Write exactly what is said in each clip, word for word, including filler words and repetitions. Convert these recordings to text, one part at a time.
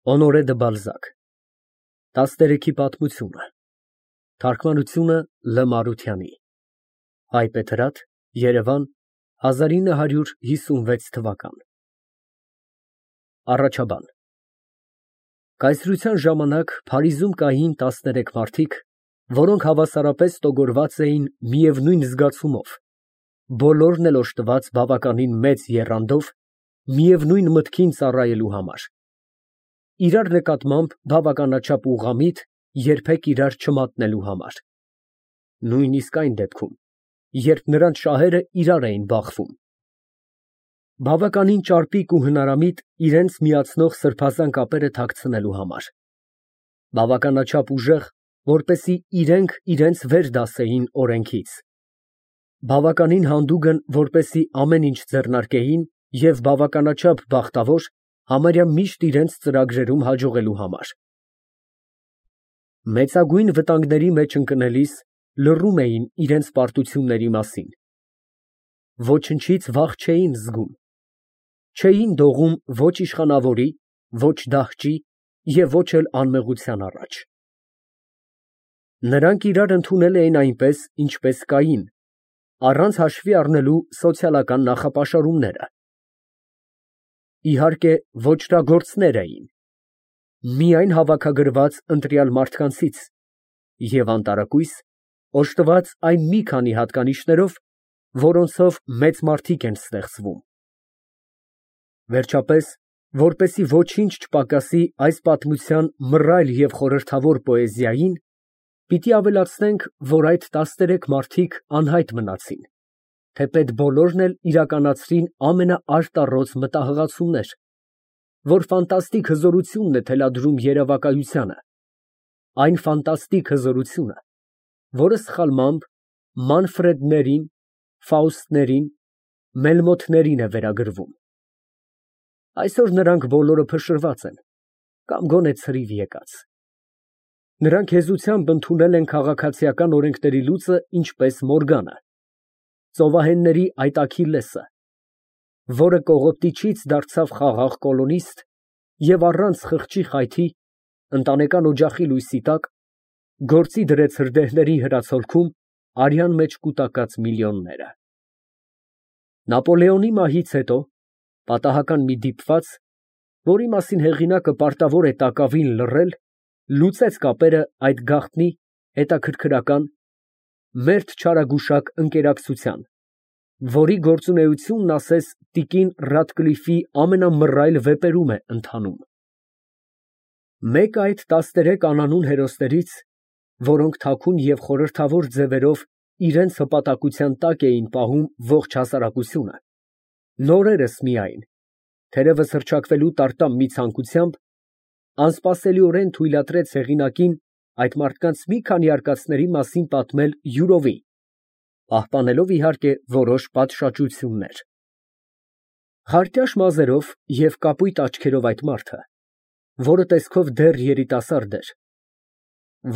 Օնորե դը Բալզակ տասներեքի պատմությունը Թարգմանությունը Լ Մարությանի Հայբեթրատ Երևան հազար ինը հարյուր հիսունվեց թվական Առաջաբան Կայսրության ժամանակ Փարիզում կային տասներեք մարդիկ, որոնք հավասարապես տոգորված էին միևնույն զգացումով, բոլորն էլ օժտված բավականին մեծ եռանդով, միևնույն մտքին ծառայելու համար, իրար նկատմամբ բավականաչափ ուղղամիտ, երբեք իրար չմատնելու համար, նույնիսկ այն դեպքում, երբ նրանց շահերը իրար էին բախվում, բավականին ճարպիկ ու հնարամիտ իրենց միացնող սրբազան կապերը թաքցնելու համար, բավականաչափ ուժեղ, որպեսզի իրենք իրենց վեր դասեին օրենքից, բավականին հանդուգն, որպեսզի ամեն ինչ ձեռնարկեին և բավականաչափ բախտավոր, համարյա միշտ իրենց ծրագրերում հաջողելու համար, մեծագույն վտանգների մեջ ընկնելիս լռում էին իրենց պարտությունների մասին, ոչնչից վախ չէին զգում, չէին դողում ոչ իշխանավորի, ոչ դահճի և ոչ էլ անմեղության առաջ, նրանք իրար ընդունել էին այնպես, ինչպես կային, առանց հաշվի առնելու սոցիալական նախապաշարումները, իհարկե ոճրագործներ էին, միայն հավաքագրված ընտրյալ մարդկանցից և անտարակույս, օժտված այն մի քանի հատկանիշներով, որոնցով մեծ մարդիկ են ստեղծվում, վերջապես, որպեսզի ոչինչ չպակասի այս պատմության մռայլ և խորհրդավոր պոեզիային, պիտի ավելացնենք, որ այդ տասներեք մարդիկ անհայտ մնացին, թեպետ բոլորն էլ իրականացրին ամենաարտառոց մտահղացումներ, որ ֆանտաստիկ հզորությունն է թելադրում երևակայությանը, այն ֆանտաստիկ հզորությունը, որը սխալմամբ Մանֆրեդներին, Ֆաուստներին, Մելմոթներին է վերագրվում, այսօր նրանք բոլորը փշրված են, կամ գոնե ցրիվ եկած, նրանք հեզությամբ ընդունել են քաղաքացիական օրենքների լուծը ինչպես Մորգանը, ծովահենների այդ Աքիլլեսը, որը կողոպտիչից դարձավ խաղաղ կոլոնիստ և առանց խղճի խայթի, ընտանեկան օջախի լույսի տակ, գործի դրեց հրդեհների հրացոլքում արյան մեջ կուտակած միլիոնները։ Նապոլեոնի մահից հետո պատահական մի դիպված, որի մասին հեղինակը պարտավոր է տակավին լռել, լուծեց կապերը այդ գաղտնի, հետաքրքրական, մերթ չարագուշակ ընկերակցության, որի գործունեությունն ասես տիկին Ռադկլիֆի ամենամռայլ վեպերում է ընթանում։ Մեկ այդ տասներեք անանուն հերոսներից, որոնք թաքուն և խորհրդավոր ձևերով իրենց հպատակության տակ էին պահում ողջ հասարակությունը, նորերս միայն, թերևս հռչակվելու տարտամ մի ցանկությամբ, անսպասելիորեն թույլատրեց հեղինակին այդ մարդկանց մի քանի արկածների մասին պատմել յուրովի, պահպանելով իհարկե որոշ պատշաճություններ։ Խարտյաշ մազերով և կապույտ աչքերով այդ մարդը, որը տեսքով դեռ երիտասարդ էր,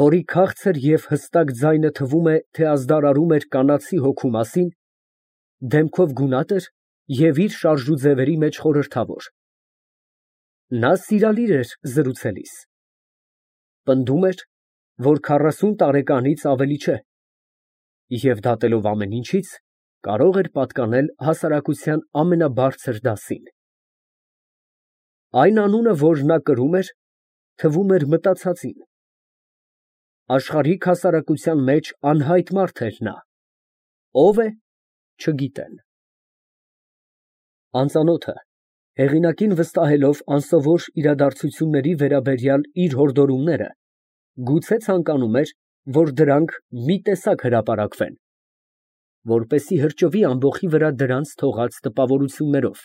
որի քաղցր և հստակ ձայնը թվում է, թե ազդարարում էր կանացի հոգու մասին, դեմքով գունատ էր և իր շարժուձևերի մեջ խորհրդավոր, նա սիրալիր էր զրուցելիս, պնդում էր, որ քառասուն տարեկանից ավելի չէ և դատելով ամեն ինչից, կարող էր պատկանել հասարակության ամենաբարձր դասին։ Այն անունը, որ նա կրում էր, թվում էր մտածածին, աշխարհիկ հասարակության մեջ անհայտ մարդ էր նա, ով է, չգիտեն։ Անծանոթը, հեղինակին վստահելով անսովոր իրադարձությունների վերաբերյալ իր հորդորումները, գուցե ցանկանում էր, որ դրանք մի տեսակ հրապարակվեն, որպեսզի հրճվի ամբոխի վրա դրանց թողած տպավորություններով,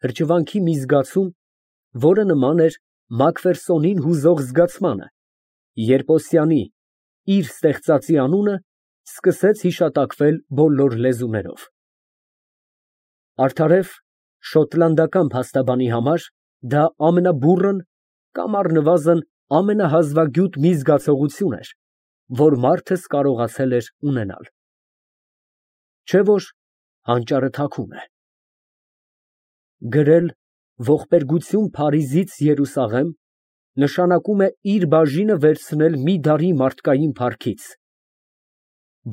հրճվանքի մի զգացում, որը նման էր Մակֆերսոնին հուզող զգացմանը, երբ Օսիանի իր ստեղծածի անունը սկսեց հիշատակվել բոլոր լեզուներով։ Արդարև, շոտլանդական փաստաբանի համար դա ամենաբուռն կամ առնվազն ամենահազվագյուտ մի զգացողություն էր, որ մարդս կարողացել էր ունենալ, չէ՞ որ հանճարը թաքուն է։ Գրել ողբերգություն Փարիզից Երուսաղեմ նշանակում է իր բաժինը վերցնել մի դարի մարդկային փառքից,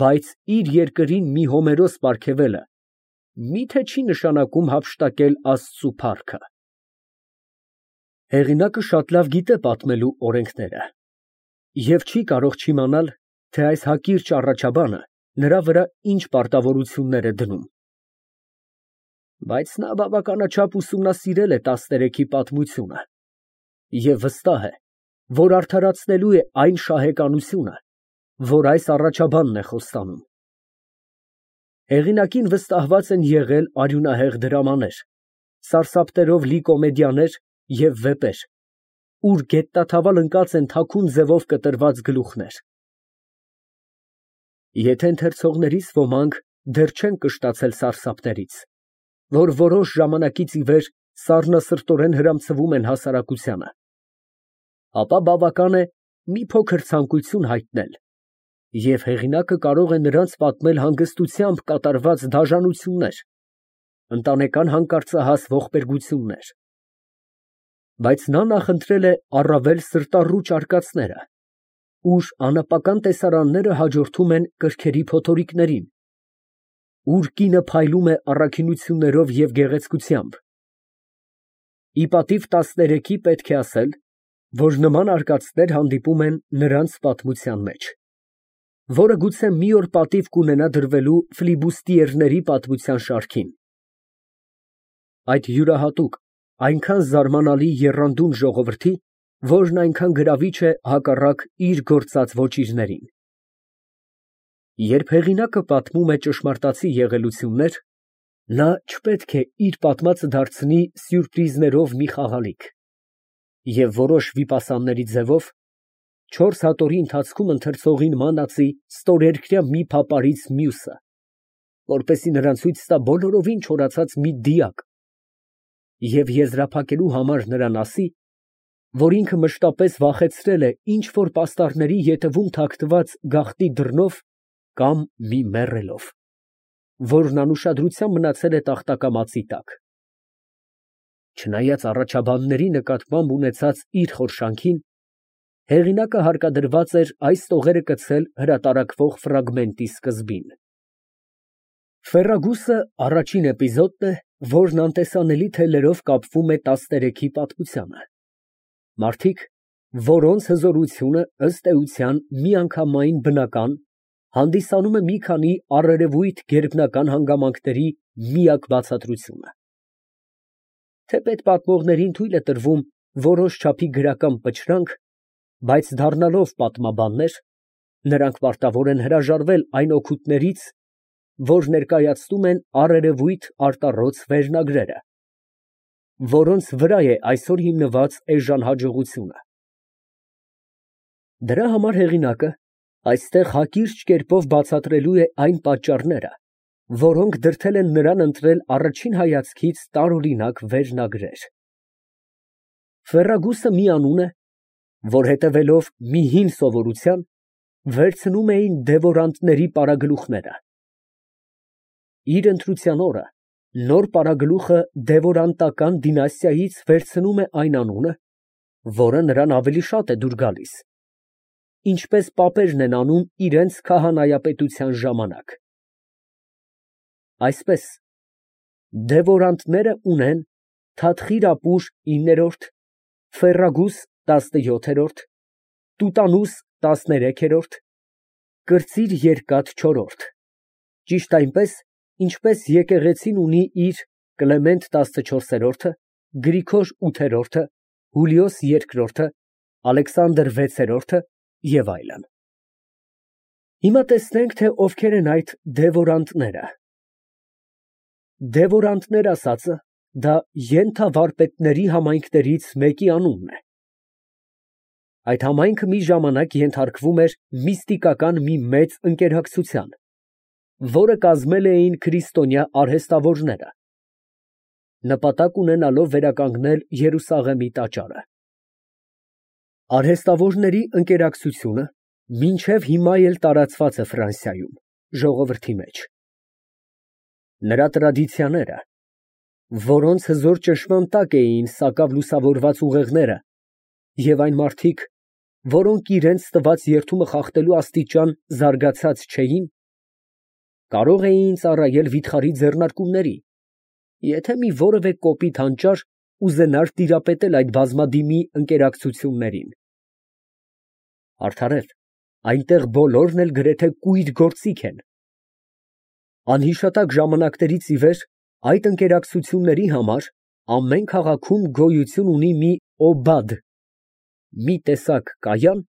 բայց իր երկրին մի Հոմերոս պարգևելը մի՞թե չի նշանակում հափշտակել Աստծու փառքը։ Հեղինակը շատ լավ գիտե պատմելու օրենքները և չի կարող չիմանալ, թե այս հակիրճ առաջաբանը նրա վրա ինչ պարտավորություններ է դնում։ Բայց նա բավականաչափ ուսումնասիրել է տասներեքի պատմությունը և վստահ է, որ արդարացնելու է այն շահեկանությունը, որ այս առաջաբանն է խոստանում։ Հեղինակին վստահված են եղել արյունահեղ դրամաներ, սարսափներով լի կոմեդիաներ և վեպեր, ուր գետնաթավալ ընկած են թաքուն ձևով կտրված գլուխներ։ Եթե ընթերցողներից ոմանք դեռ չեն կշտացել սարսափներից, որ որոշ ժամանակից ի վեր սառնասրտորեն հրամցվում են հասարակությանը, ապա բավական է մի փոքր ցանկություն հայտնել, և հեղինակը կարող է նրանց պատմել հանգստությամբ կատարված դաժանություններ, ընտանեկան հանկարծահաս ողբերգություններ։ Բայց նա նախընտրել է առավել սրտառուչ արկածները, ուր անապական տեսարանները հաջորդում են կրքերի փոթորիկներին, ուր կինը փայլում է առաքինություններով և գեղեցկությամբ։ Ի պատիվ տասներեքի պետք է ասել, որ նման արկածներ հանդիպում են նրանց պատմության մեջ, որը գուցե մի օր պատիվ կունենա դրվելու ֆլիբուստիերների պատմության շարքին։ Այդ յուրահատուկ, այնքան զարմանալի եռանդուն ժողովրդի, որն այնքան գրավիչ է հակառակ իր գործած ոճիրներին։ Երբ հեղինակը պատմում է ճշմարտացի եղելություններ, նա չպետք է իր պատմածը դարձնի սյուրպրիզներով մի խաղալիք և որոշ վիպասանների ձևով չորս հատորի ընթացքում ընթերցողին մանացի ստորերկրյա մի փապարից մյուսը, որպեսզի նրան ցույց տա բոլորովին չորացած մի դիակ և եզրափակելու համար նրան ասի, որ ինքը մշտապես վախեցրել է ինչ֊որ պաստառների ետևում թաքնված գաղտնի դռնով կամ մի մեռելով, որն անուշադրությամբ մնացել է տախտակամածի տակ։ Չնայած առաջաբանների նկատմամբ ունեցած իր խորշանքին, հեղինակը հարկադրված էր այս տողերը կցել հրատարակվող ֆրագմենտի սկզբին։ Ֆերրագուսը առաջին էպիզոդն է, որն անտեսանելի թելերով կապվում է տասներեքի պատմությանը։ Մարդիկ, որոնց հզորությունը ըստ էության միանգամայն բնական, հանդիսանում է մի քանի առերևույթ գերբնական հանգամանքների միակ բացատրությունը։ Թեպետ պատմողներին թույլ է տրվում որոշ չափի գրական պճրանք, բայց դառնալով պատմաբաններ, նրանք պարտավոր են հրաժարվել այն օգուտներից, որ ներկայացնում են առերևույթ արտառոց վերնագրերը, որոնց վրա է այսօր հիմնված էժան հաջողությունը։ Դրա համար հեղինակը այստեղ հակիրճ կերպով բացատրելու է այն պատճառները, որոնք դրդել են նրան ընտրել առաջին հայացքից տարօրինակ վերնագրեր։ Ֆերրագուսը մի անուն է, որ հետևելով մի հին սովորության, վերցնում էին դևորանտների պարագլուխները։ Իր ընտրության օրը նոր պարագլուխը դևորանտական դինաստիայից վերցնում է այն անունը, որը նրան ավելի շատ է դուր գալիս, ինչպես պապերն են անում իրենց քահանայապետության ժամանակ։ Այսպես, դևորանտները ունեն Թադխիրապուր իններորդ, Ֆերրագուս տասնյոթերորդ, Տուտանուս տասներեքերորդ, Կրծիր երկաթ չորրորդ, ճիշտ այնպես, ինչպես եկեղեցին ունի իր Կլեմենտ տասնչորսերորդը, Գրիգոր ութերորդը, Հուլիոս երկրորդը, Ալեքսանդր վեցերորդը և այլն։ Հիմա տեսնենք, թե ովքեր են այդ դևորանտները։ Դևորանտներ ասածը դա ենթավարպետների համայնքներից մեկի անունն է։ Այդ համայնքը մի ժամանակ ենթարկվում էր միստիկական մի մեծ ընկերակցության, որը կազմել էին քրիստոնյա արհեստավորները, նպատակ ունենալով վերականգնել Երուսաղեմի տաճարը։ Արհեստավորների ընկերակցությունը մինչև հիմա էլ տարածված է Ֆրանսիայում, ժողովրդի մեջ։ Նրա տրադիցիաները, որոնց հզոր ճնշման տակ էին սակավ լուսավորված ուղեղները, և այն մարդիկ, որոնք իրենց տված երդումը խախտելու աստիճան զարգացած չէին, կարող էին ծառայել վիթխարի ձեռնարկումների, եթե մի որևէ կոպիտ հանճար ուզենար տիրապետել այդ բազմադիմի ընկերակցություններին։ Արդարև, այնտեղ բոլորն էլ գրեթե կույր գործիք են։ Անհիշատակ ժամանակներից ի վեր այդ ընկերակցությունների համար ամեն քաղաքում գոյություն ունի մի օբադ, մի տեսակ կայան,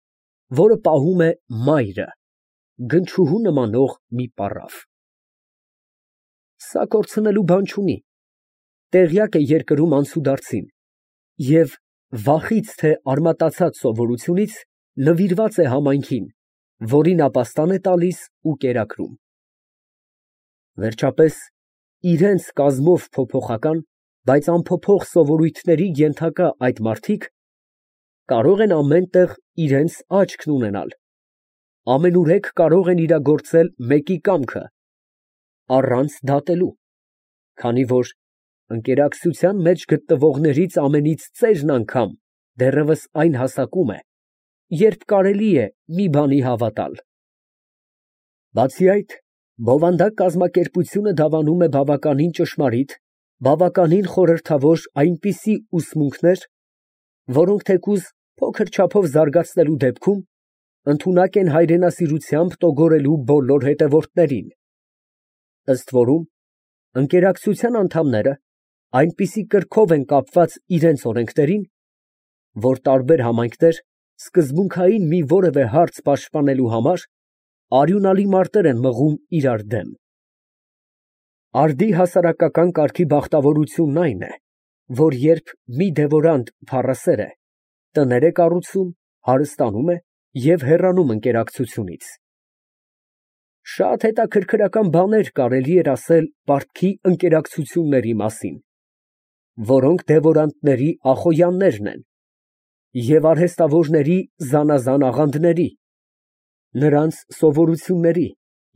որը պահում է մայրը, գնչուհու նմանող մի պառավ։ Սա կորցնելու բան չունի, տեղյակ է երկրում անցուդարձին և վախից թե արմատացած սովորությունից նվիրված է համայնքին, որին ապաստան է տալիս ու կերակրում։ Վերջապես, իրենց կազմով փոփոխական, բայց անփոփոխ սովորույթների ենթակա այդ մարդիկ կարող են ամեն տեղ իրենց աչքն ունենալ, ամենուրեք կարող են իրագործել մեկի կամքը, առանց դատելու, քանի որ ընկերակցության մեջ գտնվողներից ամենից ծերն անգամ դեռևս այն հասակում է, երբ կարելի է մի բանի հավատալ։ Բացի այդ, բովանդակ կազմակերպությունը դավանում է բավականին ճշմարիտ, բավականին խորհրդավոր այնպիսի ուսմունքներ, որոնք թեկուզ փոքր չափով զարգացնելու դեպքում ընդունակ են հայրենասիրությամբ տոգորելու բոլոր հետևորդներին։ Ըստ որում, ընկերակցության անդամները այնպիսի կրքով են կապված իրենց օրենքներին, որ տարբեր համայնքներ սկզբունքային մի որևէ հարց պաշտպանելու համար արյունալի մարտեր են մղում իրար դեմ։ Արդի հասարակական կարգի բախտավորությունն այն է, որ երբ մի դևորանտ փառասեր է, տներ է կառուցում, հարստանում է և հեռանում ընկերակցությունից։ Շատ հետաքրքրական բաներ կարելի էր ասել պարտքի ընկերակցությունների մասին, որոնք դևորանտների ախոյաններն են և արհեստավորների զանազան աղանդների, նրանց սովորությունների,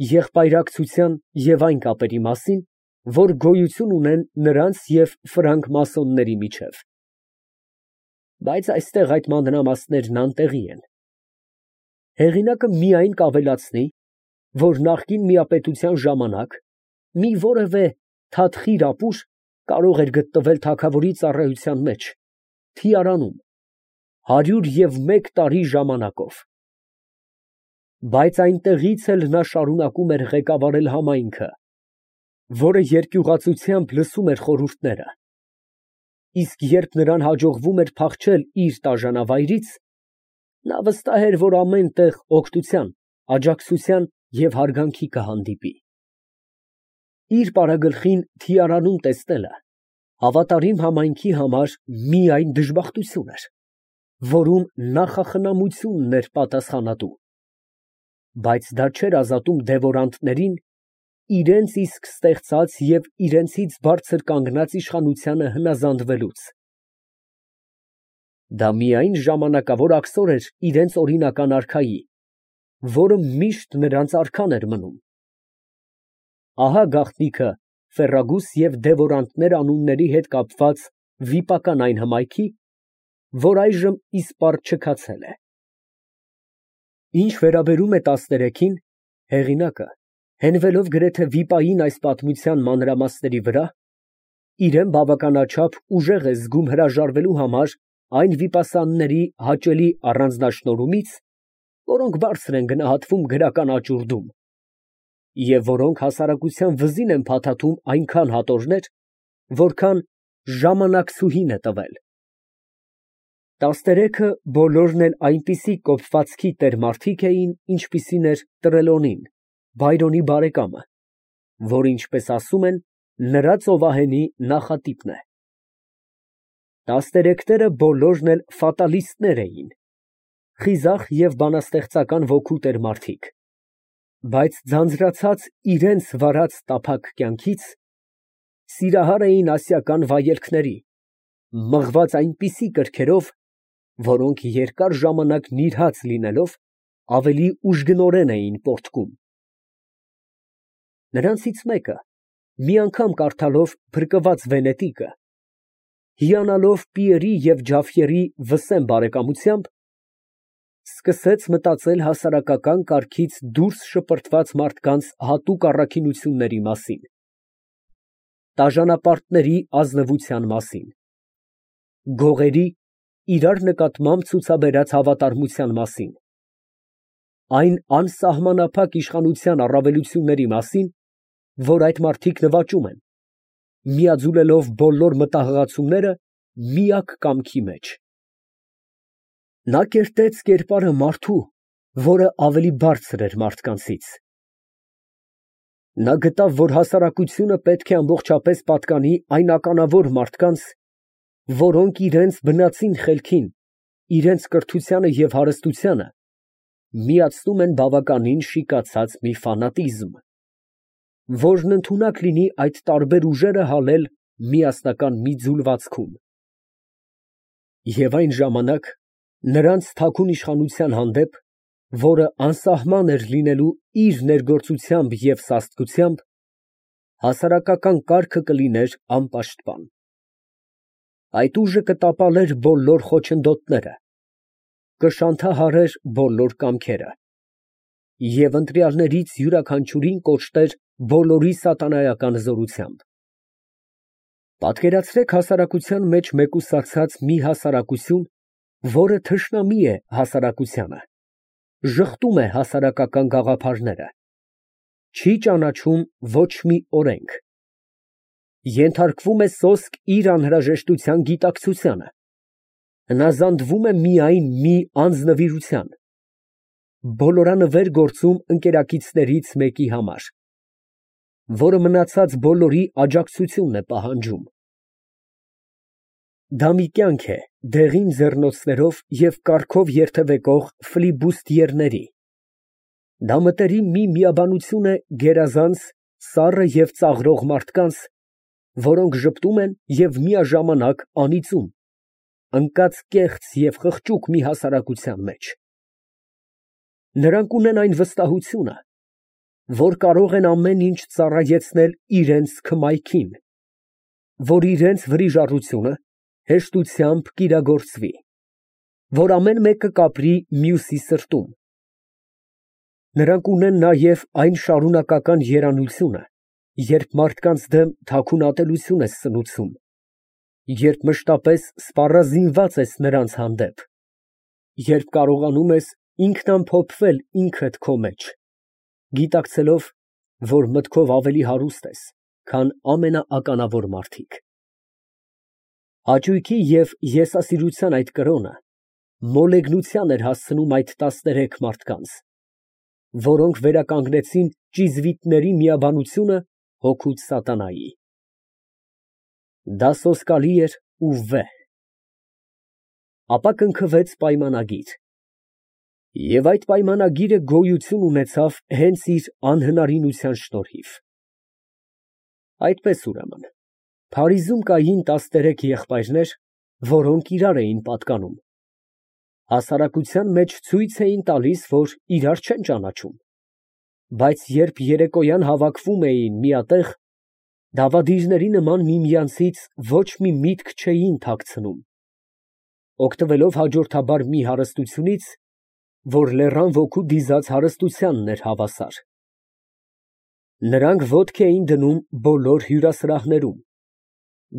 եղբայրակցության և այն կապերի մասին, որ գոյություն ունեն նրանց և ֆրանկմասոնների միջև։ Բայց այստեղ այդ մանրամասներն անտեղի են։ Հեղինակը միայն կավելացնի, որ նախկին միապետության ժամանակ մի որևէ թատխիր ապուր կարող էր գտնվել թագավորի ծառայության մեջ, թիարանում, հարյուր և մեկ տարի ժամանակով։ Բայց այնտեղից էլ նա շարունակում էր ղեկավարել համայնքը, որը երկյուղածությամբ լսում էր խորհուրդները, իսկ երբ նրան հաջողվում էր փախչել իր տաժանավայրից, նա վստահ էր, որ ամեն տեղ օգնության, աջակցության և հարգանքի կհանդիպի։ Իր պարագլխին թիարանում տեսնելը հավատարիմ համայնքի համար միայն դժբախտություն էր, որում նախախնամությունն էր պատասխանատու, բայց դա չէր ազատում դևորանտներին իրենց իսկ ստեղծած և իրենցից բարձր կանգնած իշխանությանը հնազանդվելուց։ Դա միայն ժամանակավոր աքսոր էր իրենց օրինական արքայի, որը միշտ նրանց արքան էր մնում։ Ահա գաղտնիքը Ֆերրագուս և դևորանտներ անունների հետ կապված վիպական այն հմայքի, որ այժմ իսպառ չքացել է։ Ինչ վերաբերում է տասներեքին, հեղինակը, հենվելով գրեթե վիպային այս պատմության մանրամասների վրա, իրեն բավականաչափ ուժեղ է զգում հրաժարվելու համար այն վիպասանների հաճելի առանձնաշնորհումից, որոնք բարձր են գնահատվում գրական աճուրդում, և որոնք հասարակության վզին են փաթաթում այնքան հատորներ, որքան ժամանակցուհին է տվել։ Տասներեքը բոլորն էլ այնպիսի կոպվածքի տեր֊մարդիկ էին, ինչպիսին էր Տրելոնին, Բայրոնի բարեկամը, որ, ինչպես ասում են, նրա ծովահենի նախատիպն է։ Տասներեքները բոլորն էլ ֆատալիստներ էին, խիզախ և բանաստեղծական ոգու տեր֊մարդիկ, բայց ձանձրացած իրենց վարած տափակ կյանքից, սիրահար էին ասիական վայելքների, մղված այնպիսի կրքերով, որոնք երկար ժամանակ նիրհած լինելով, ավելի ուժգնորեն էին պոռթկում։ Նրանցից մեկը, մի անգամ կարդալով փրկված Վենետիկը, հիանալով Պիերի և Ջաֆյերի վսեմ բարեկամությամբ, սկսեց մտածել հասարակական կարգից դուրս շպրտված մարդկանց հատուկ առաքինությունների մասին, տաժանապարտների ազնվության մասին, գողերի իրար նկատմամբ ցուցաբերած հավատարմության մասին, այն անսահմանափակ իշխանության առավելությունների մասին, որ այդ մարդիկ նվաճում են, միաձուլելով բոլոր մտահղացումները միակ կամքի մեջ։ Նա կերտեց կերպարը մարդու, որը ավելի բարձր էր մարդկանցից։ Նա գտավ, որ հասարակությունը պետք է ամբողջապես պատկանի այն ականավոր մարդկանց, որոնք իրենց բնածին խելքին, իրենց կրթությանը և հարստությանը միացնում են բավականին շիկացած մի ֆանատիզմ, որն ընդունակ լինի այդ տարբեր ուժերը հալել միասնական մի ձուլվածքում։ Եվ այն ժամանակ նրանց թաքուն իշխանության հանդեպ, որը անսահման էր լինելու իր ներգործությամբ և սաստկությամբ, հասարակական կարգը կլիներ անպաշտպան։ Այդ ուժը կտապալեր բոլոր խոչընդոտները, կշանթահարեր բոլոր կամքերը և ընտրյալներից յուրաքանչյուրին կոչտեր բոլորի սատանայական զորությամբ։ Պատկերացրեք հասարակության մեջ մեկուսացած մի հասարակություն, որը թշնամի է հասարակությանը, ժխտում է հասարակական գաղափարները, չի ճանաչում ոչ մի օրենք, ենթարկվում է սոսկ իր անհրաժեշտության գիտակցությանը, հնազանդվում է միայն մի անձնվիրության, բոլորանվեր գործում ընկերակիցներից մեկի համար, որը մնացած բոլորի աջակցությունն է պահանջում։ Դա մի կյանք է դեղին ձեռնոցներով և կառքով երթևեկող ֆլիբուստիերների, դա մտերիմ մի միաբանություն է գերազանց, սառը և ծաղրող մարդկանց, որոնք ժպտում են և միաժամանակ անիծում, ընկած կեղծ և խղճուկ մի հասարակության մեջ։ Նրանք ունեն այն վստահությունը, որ կարող են ամեն ինչ ծառայեցնել իրենց քմայքին, որ իրենց վրիժառությունը հեշտությամբ կիրագործվի, որ ամեն մեկը կապրի մյուսի սրտում։ Նրանք ունեն նաև այն շարունակական երանությունը, երբ մարդկանց դեմ թաքուն ատելություն ես սնուցում, երբ մշտապես սպառազինված ես նրանց հանդեպ, երբ կարողանում ես ինքնամփոփվել ինքդ քո մեջ, գիտակցելով, որ մտքով ավելի հարուստ ես, քան ամենաականավոր մարդիկ։ Հաճույքի և եսասիրության այդ կրոնը մոլեգնության էր հասցնում այդ տասներեք մարդկանց, որոնք վերականգնեցին ճիզվիտների միաբանությունը հօգուտ սատանայի։ Դա սոսկալի էր ու վեհ։ Ապա կնքվեց պայմանագիր, և այդ պայմանագիրը գոյություն ունեցավ հենց իր անհնարինության շնորհիվ։ Այդպես, ուրեմն, Փարիզում կային տասներեք եղբայրներ, որոնք իրար էին պատկանում, հասարակության մեջ ցույց էին տալիս, որ իրար չեն ճանաչում, բայց երբ երեկոյան հավաքվում էին միատեղ, դավադիրների նման միմյանցից ոչ մի միտք չէին թաքցնում, օգտվելով հաջորդաբար մի հարստությունից, որ լեռան ոգու դիզած հարստությանն էր հավասար։ Նրանք ոտքի էին դնում բոլոր հյուրասրահներում,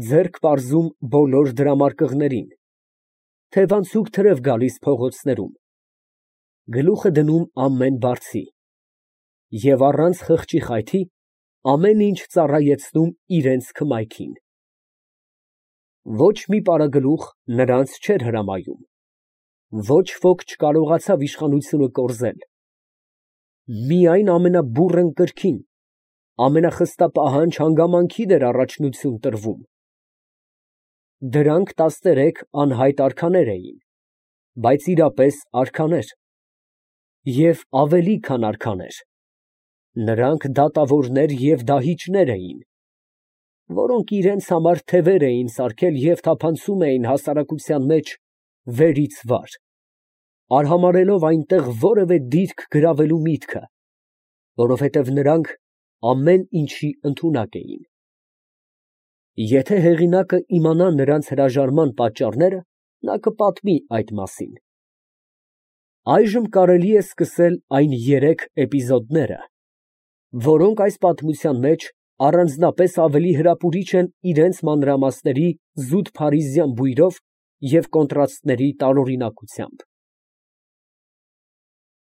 ձեռք պարզում բոլոր դրամարկղներին, թևանցուկ թրև գալիս փողոցներում, գլուխը դնում ամեն բարձի և առանց խղճի խայթի ամեն ինչ ծառայեցնում իրենց քմայքին։ Ոչ մի պարագլուխ նրանց չէր հրամայում, ոչ ոք չկարողացավ իշխանությունը կորզել, միայն ամենաբուռն կրքին, ամենախստապահանջ հանգամանքին էր առաջնություն տրվում։ Դրանք տասներեք անհայտ արքաներ էին, բայց իրապես արքաներ, և ավելի քան արքաներ, նրանք դատավորներ և դահիճներ էին, որոնք իրենց համար թևեր էին սարքել և թափանցում էին հասարակության մեջ վերից վար, արհամարհելով այնտեղ որևէ դիրք գրավելու միտքը, որովհետև նրանք ամեն ինչի ընդունակ էին։ Եթե հեղինակը իմանա նրանց հրաժարման պատճառները, նա կպատմի այդ մասին։ Այժմ կարելի է սկսել այն երեք էպիզոդները, որոնք այս պատմության մեջ առանձնապես ավելի հրապուրիչ են իրենց մանրամասների զուտ փարիզյան բույրով և կոնտրաստների տարօրինակությամբ։